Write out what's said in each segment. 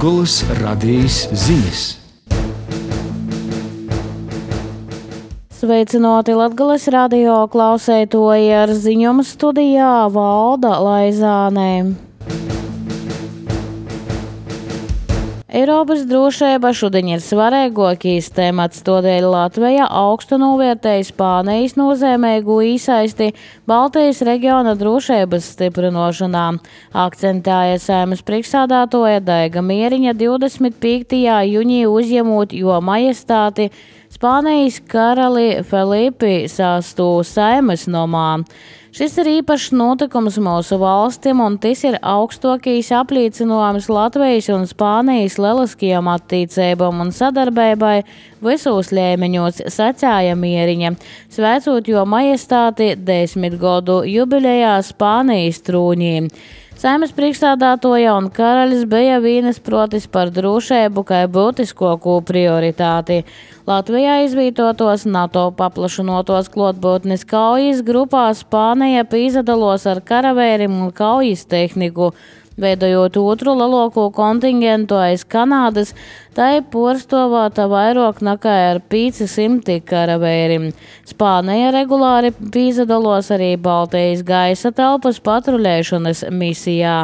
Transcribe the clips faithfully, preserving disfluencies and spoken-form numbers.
Latgolas radījis ziņas. Sveicināti Latgolas radio klausētoji, ar ziņām studijā Valda Laizāne. Eiropas drošība šodien ir svarīgākais temats, tādēļ Latvija augstu novērtēja Spānijas nozīmīgu iesaisti Baltijas reģiona drošības stiprināšanā, akcentēja Saeimas priekšsēdētāja Daiga Mieriņa divdesmit piektajā jūnijā uzņemot Jo Majestāti Spānijas karali Felipi sesto Saeimas nomā. Šis ir īpašs notikums mūsu valstim, un tas ir augstākais apliecinājums Latvijas un Spānijas lieliskajām attiecībām un sadarbībai visos līmeņos, sacīja Mieriņa, sveicot Jo Majestāti desmit gadu jubilejā Spānijas trūņī. Saeimas priekšsēdētāja un karalis bija vienisprātis par drošību kā būtiskāko prioritāti. Latvijā izvietotos NATO paplašinotos klātbūtnes kaujas grupā Spānija pīzadalos ar karavīriem un kaujas tehniku, veidojot otru lielāko kontingentu aiz Kanādas, tai porstovāta vairāk nekā ar piecsimt karavīriem. Spānija regulāri pīzadalos arī Baltijas gaisa telpas patruļēšanas misijā.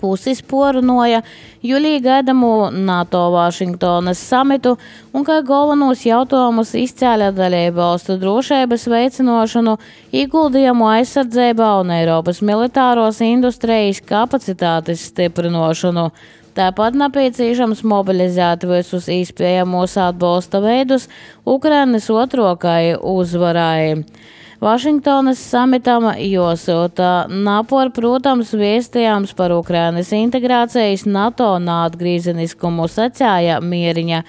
Puses porunoja jūlijā gaidamo NATO Vašingtonas samitu un kā galvenos jautājumus izcēla dalībvalstu drošības veicināšanu, ieguldījumu aizsardzībā un Eiropas militāros industrijas kapacitātes stiprināšanu. Tāpat nepieciešams mobilizēt visus iespējamos atbalsta veidus Ukrainas otrākai uzvarai. Vašingtonas samitam jāsūta napor, protams, vēstījums par Ukrainas integrācijas NATO neatgriezeniskumu, sacīja Mieriņa,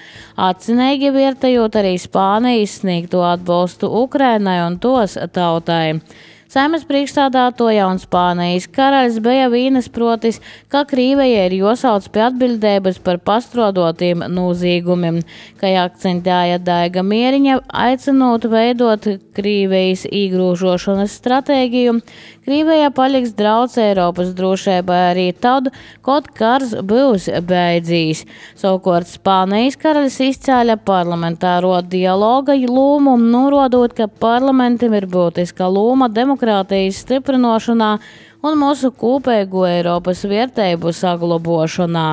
atzinīgi vērtējot arī Spānijas sniegto atbalstu Ukrainai un tos tautai. Saeimas priekšsēdētāja un Spānijas karalis bija vienisprātis, ka Krievija ir jāsauc pie atbildības par pastrodotiem noziegumiem, kā akcentēja Daiga Mieriņa, aicinot veidot Krievijas iegrūžošanas stratēģiju. Krievija paliks drauds Eiropas drošībai arī tad, kad karš būs beidzīs. Savukārt Spānijas karalis izcēla parlamentāro dialoga lomu, norādot, ka parlamentam ir būtiska loma demokrātijas stiprināšanā un mūsu kopīgo Eiropas vērtību saglabošanā.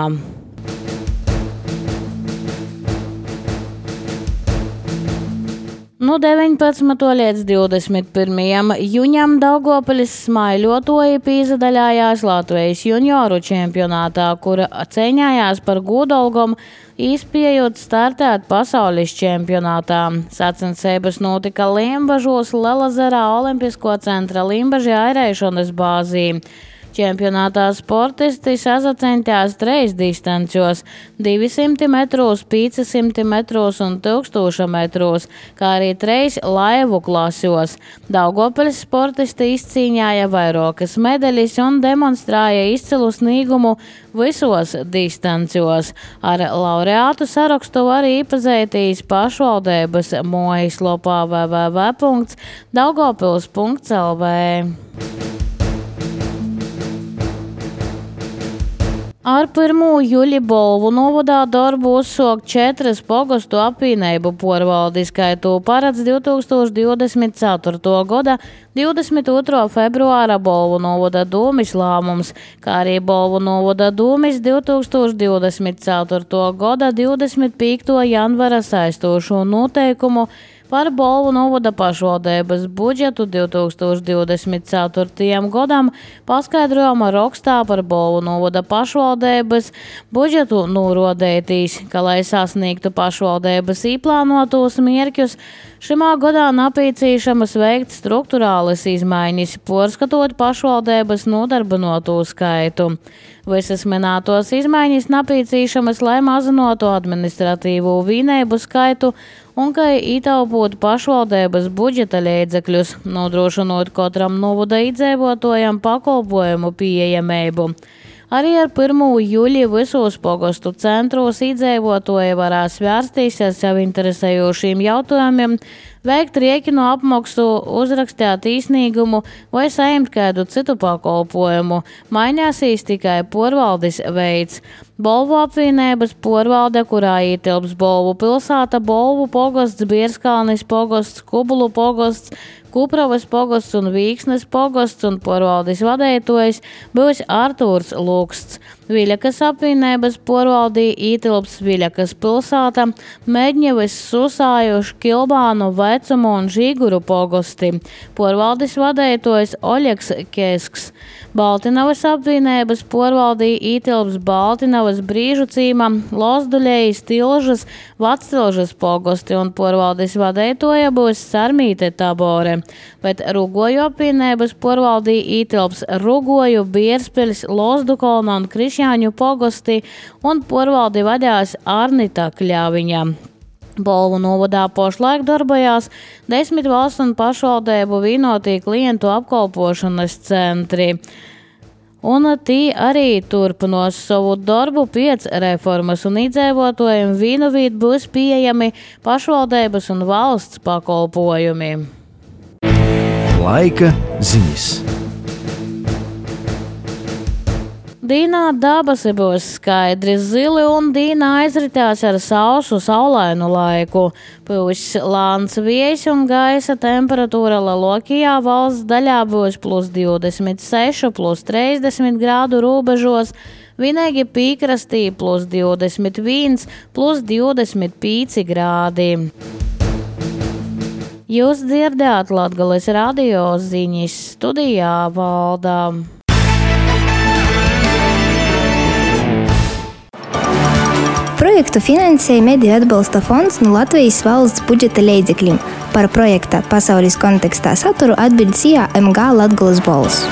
No deviņpadsmitā līdz divdesmit pirmajam jūņam Daugavpils smaiļotoji pīzadaļājās Latvijas junioru čempionātā, kura cīņājās par godalgom, izspējot startēt pasaules čempionātā. Sacensības notika Limbažos Lielezerā Olimpisko centra Limbaži airēšanas bāzī. Čempionātā sportisti sazacentījās treis distancjos – divsimt metros, piecsimt metros un tūkstoš metros, kā arī treis laivu klasjos. Daugavpils sportisti izcīņāja vairākas medaļas un demonstrēja izcilu sniegumu visos distancjos. Ar laureātu sarakstu var iepazīties pašvaldības mājaslapā w w w punkts daugavpils punkts l v. Ar pirmo jūļa Bolvu novadā darbu uzsāk četras pogostu apvienību porvaldes, kā to paredz divtūkstoš divdesmit ceturtā gada divdesmit otrā februāra Bolvu novada dūmis lēmums, kā arī Bolvu novada dūmis divtūkstoš divdesmit ceturtā gada divdesmit piektā janvara saistošo noteikumu par Bolvu novada pašvaldības budžetu divtūkstoš divdesmit ceturtajam gadam, paskaidrojuma rakstā par Bolvu novada pašvaldības budžetu norādītīs, ka, lai sasniegtu pašvaldības īplānotos mērķus, šimā gadā nepieciešamas veikt struktūrālas izmaiņas, porskatot pašvaldības nodarbinoto skaitu. Visas minētos izmaiņas nepieciešamas, lai mazinātu administratīvo vienību skaitu un kā ietaupot pašvaldības budžeta līdzekļus, nodrošinot katram novada iedzīvotājam pakalpojumu pieejamību. Arī ar pirmo jūļu visos pogostu centros iedzīvotāji varēs vērsties ar sev interesējošiem jautājumiem veikt rēķinu apmaksu, uzrakstīt īsnīgumu vai saņemt kādu citu pakalpojumu. Mainīsies tikai porvaldes veids. Bolvu apvienības porvalde, kurā ietilps Bolvu pilsēta, Bolvu pogosts, Bierskalnis pogosts, Kubulu pogosts, Kupravas pogosts un Vīksnes pogosts un porvaldes vadītājs būs Artūrs Luksts. Viļakas apvienības porvaldī ietilps Viļakas pilsēta, Medņevas, Susājuši, Kilbānu, Vecumu un Žīguru pogosti. Porvaldes vadītājs Oļegs Kesks. Baltinavas apvienības porvaldī ietilps Baltinavas, Brīžu cīma, Lozduļejas, Tilžas, Vactilžas pogosti un porvaldes vadītāja būs Sarmīte Tabore. Bet Rugoju apvienības porvaldī ietilps Rugoju, Bierspeļs, Lozdukolna un Krišjāņu pogosti un porvaldi vadās Arnita Kļaviņa. Bolvu novadā pašlaik darbojās desmit valsts un pašvaldību vienotī klientu apkalpošanas centri. Un tī arī turpinās savu darbu pēc reformas, un iedzīvotājiem vienu vīd būs pieejami pašvaldības un valsts pakalpojumi. Laika ziņas. Dīnā dabasi būs skaidri zili un dīnā aizritās ar sausu saulainu laiku. Pūs lāns viejs un gaisa temperatūra lielākajā valsts daļā būs plus divdesmit seši, plus trīsdesmit grādu robežos, vienīgi pīkrastī plus divdesmit viens, plus divdesmit pieci grādi. Jūs dzirdējāt Latgales radio ziņas, studijā Valda. Projektu finansēja Mediju atbalsta fonds no Latvijas valsts budžeta līdzekļiem. Par projekta pasaules kontekstā saturu atbild C I A M G Latgales balss.